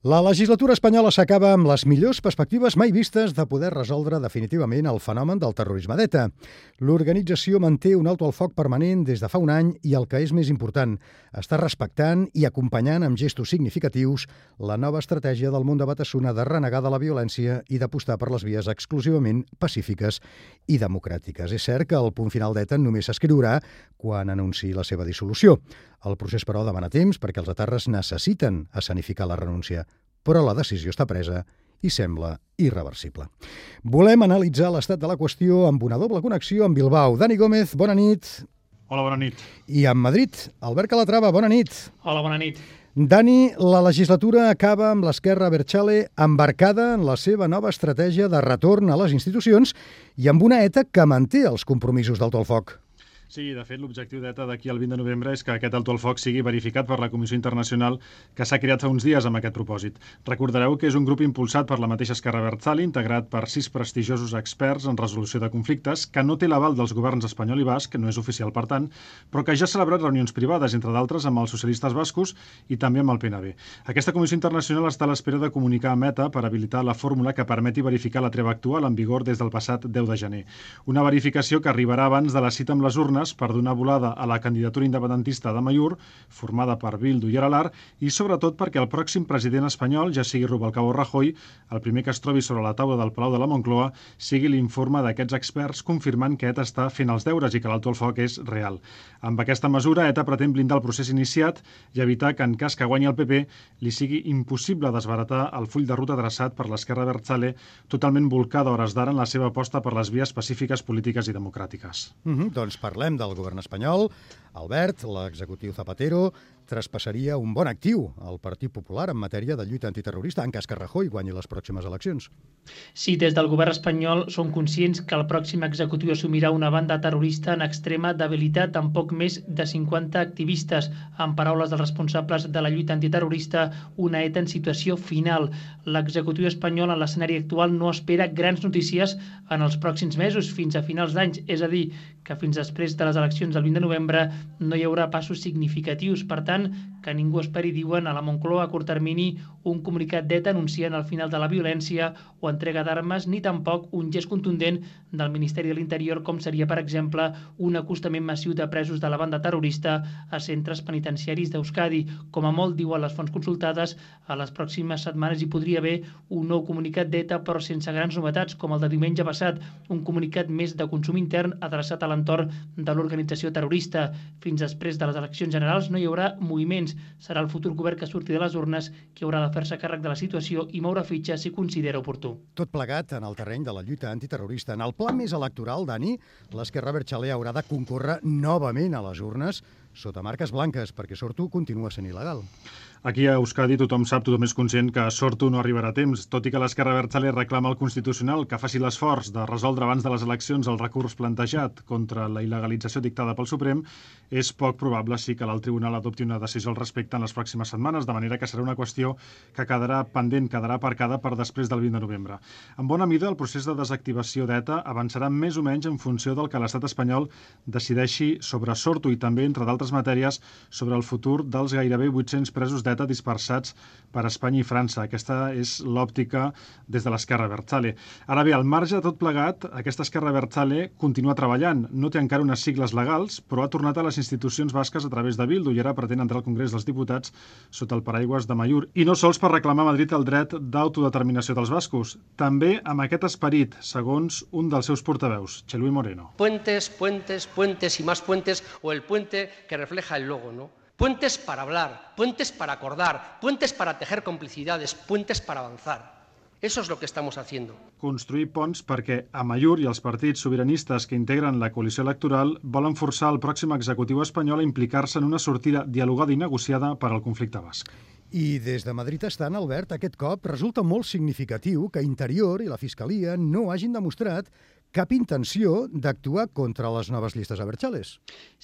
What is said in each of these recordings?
La legislatura espanyola s'acaba amb les millors perspectives mai vistes de poder resoldre definitivament el fenomen del terrorisme d'ETA. L'organització manté un alto al foc permanent des de fa un any i el que és més important, està respectant i acompanyant amb gestos significatius la nova estratègia del món de Batasuna de renegar de la violència i d'apostar per les vies exclusivament pacífiques i democràtiques. És cert que el punt final d'ETA només s'escriurà quan anunciï la seva dissolució. El procés, però, demana temps perquè els etarres necessiten escenificar la renúncia. Però la decisió està presa i sembla irreversible. Volem analitzar l'estat de la qüestió amb una doble connexió amb Bilbao. Dani Gómez, bona nit. Hola, bona nit. I amb Madrid, Albert Calatrava, bona nit. Hola, bona nit. Dani, la legislatura acaba amb l'Esquerra Abertzale embarcada en la seva nova estratègia de retorn a les institucions i amb una ETA que manté els compromisos d'alto al foc. Sí, de fet, l'objectiu d'ETA d'aquí al 20 de novembre és que aquest alto al foc sigui verificat per la Comissió Internacional que s'ha creat fa uns dies amb aquest propòsit. Recordareu que és un grup impulsat per la mateixa Esquerra Abertzale, integrat per 6 prestigiosos experts en resolució de conflictes, que no té l'aval dels governs espanyol i basc, que no és oficial per tant, però que ja ha celebrat reunions privades, entre d'altres amb els socialistes bascos i també amb el PNB. Aquesta Comissió Internacional està a l'espera de comunicar amb ETA per habilitar la fórmula que permeti verificar la treva actual en vigor des del passat 10 de gener. Una verificació que arribarà abans de la cita amb les urnes per donar volada a la candidatura independentista de Amaiur, formada per Bildu i Aralar, i sobretot perquè el pròxim president espanyol, ja sigui Rubalcaba o Rajoy, el primer que es trobi sobre la taula del Palau de la Moncloa, sigui l'informe d'aquests experts confirmant que ETA està fent els deures i que l'alto al foc és real. Amb aquesta mesura, ETA pretén blindar el procés iniciat i evitar que, en cas que guanyi el PP, li sigui impossible desbaratar el full de ruta traçat per l'Esquerra Abertzale, totalment volcada a hores d'ara en la seva aposta per les vies pacífiques, polítiques i democràtiques. Doncs parlem del govern espanyol. Albert, l'executiu Zapatero, traspassaria un bon actiu al Partit Popular en matèria de lluita antiterrorista en cas que Rajoy guanyi les pròximes eleccions. Sí, des del govern espanyol són conscients que el pròxim executiu assumirà una banda terrorista en extrema debilitat amb poc més de 50 activistes. En paraules dels responsables de la lluita antiterrorista, una ETA en situació final. L'executiu espanyol en l'escenari actual no espera grans notícies en els pròxims mesos fins a finals d'any, és a dir, que fins després de les eleccions del 20 de novembre no hi haurà passos significatius. Per tant, que ningú esperi, diuen, a la Moncloa a curt termini un comunicat d'ETA anunciant el final de la violència o entrega d'armes, ni tampoc un gest contundent del Ministeri de l'Interior, com seria, per exemple, un acostament massiu de presos de la banda terrorista a centres penitenciaris d'Euskadi. Com a molt, diuen les fonts consultades, a les pròximes setmanes hi podria haver un nou comunicat d'ETA, però sense grans novetats, com el de diumenge passat, un comunicat més de consum intern adreçat a l'entorn de l'organització terrorista. Fins després de les eleccions generals no hi haurà moviments. Serà el futur govern que surti de les urnes qui haurà de fer-se càrrec de la situació i moure fitxa si considera oportú. Tot plegat en el terreny de la lluita antiterrorista. En el pla més electoral, Dani, l'Esquerra Abertzale haurà de concórrer novament a les urnes sota marques blanques, perquè Sortu continua sent il·legal. Aquí a Euskadi tothom és conscient que Sortu no arribarà a temps, tot i que l'Esquerra Abertzale reclama al Constitucional que faci l'esforç de resoldre abans de les eleccions el recurs plantejat contra la il·legalització dictada pel Suprem. És poc probable, sí, que l'alt tribunal adopti una decisió al respecte en les pròximes setmanes, de manera que serà una qüestió que quedarà pendent, quedarà aparcada per després del 20 de novembre. En bona mida, el procés de desactivació d'ETA avançarà més o menys en funció del que l'estat espanyol decideixi sobre Sortu i també, entre d'altres matèries, sobre el futur dels gairebé 800 presos d'ETA dispersats per Espanya i França. Aquesta és l'òptica des de l'Esquerra Abertzale. Ara bé, al marge de tot plegat, aquesta Esquerra Abertzale continua treballant. No té encara unes sigles legals, però ha tornat a les institucions basques a través de Bildu i ara pretén entrar al Congrés dels Diputats sota el paraigües de Amaiur. I no sols per reclamar a Madrid el dret d'autodeterminació dels bascos, també amb aquest esperit, segons un dels seus portaveus, Txelui Moreno. Puentes, puentes, puentes y más puentes, o el puente que refleja el logo, ¿no? Puentes para hablar, puentes para acordar, puentes para tejer complicidades, puentes para avanzar. Eso es lo que estamos haciendo. Construir ponts perquè Amaiur i els partits sobiranistes que integren la coalició electoral volen forçar el pròxim executiu espanyol a implicar-se en una sortida dialogada i negociada per al conflicte basc. I des de Madrid estant, Albert, aquest cop resulta molt significatiu que Interior i la Fiscalia no hagin demostrat cap intenció d'actuar contra les noves llistes Abertzales.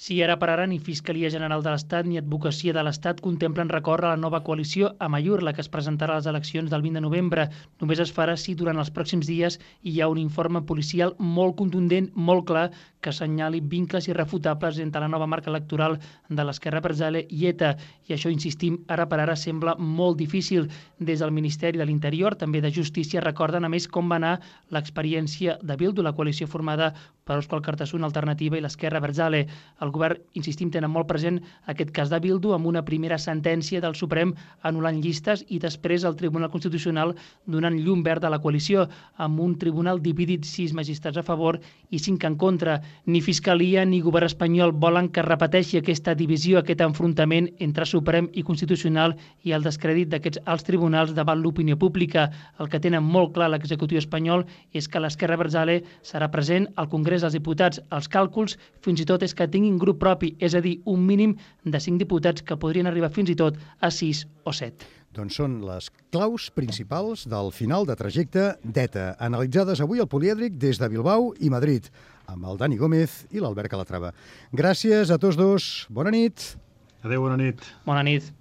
Sí, ara per ara ni Fiscalia General de l'Estat ni Advocacia de l'Estat contemplen recórrer a la nova coalició Amaiur, la que es presentarà a les eleccions del 20 de novembre. Només es farà si durant els pròxims dies hi ha un informe policial molt contundent, molt clar, que assenyali vincles irrefutables entre la nova marca electoral de l'Esquerra Abertzale i ETA. I això, insistim, ara per ara sembla molt difícil. Des del Ministeri de l'Interior, també de Justícia, recorden a més com va anar l'experiència de Bildu, la coalició formada per Òscar Cartasun, Alternativa i l'Esquerra Abertzale. El govern, insistim, tenen molt present aquest cas de Bildu amb una primera sentència del Suprem anul·lant llistes i després el Tribunal Constitucional donant llum verda a la coalició, amb un tribunal dividit, 6 magistrats a favor i 5 en contra. Ni Fiscalia ni govern espanyol volen que repeteixi aquesta divisió, aquest enfrontament entre Suprem i Constitucional i el descrèdit d'aquests alts tribunals davant l'opinió pública. El que tenen molt clar l'executiu espanyol és que l'Esquerra Abertzale serà present al Congrés dels Diputats. Els càlculs fins i tot és que tinguin grup propi, és a dir, un mínim de 5 diputats que podrien arribar fins i tot a 6 o 7. Doncs són les claus principals del final de trajecte d'ETA, analitzades avui al Polièdric des de Bilbao i Madrid, amb el Dani Gómez i l'Albert Calatrava. Gràcies a tots dos. Bona nit. Adéu, bona nit. Bona nit.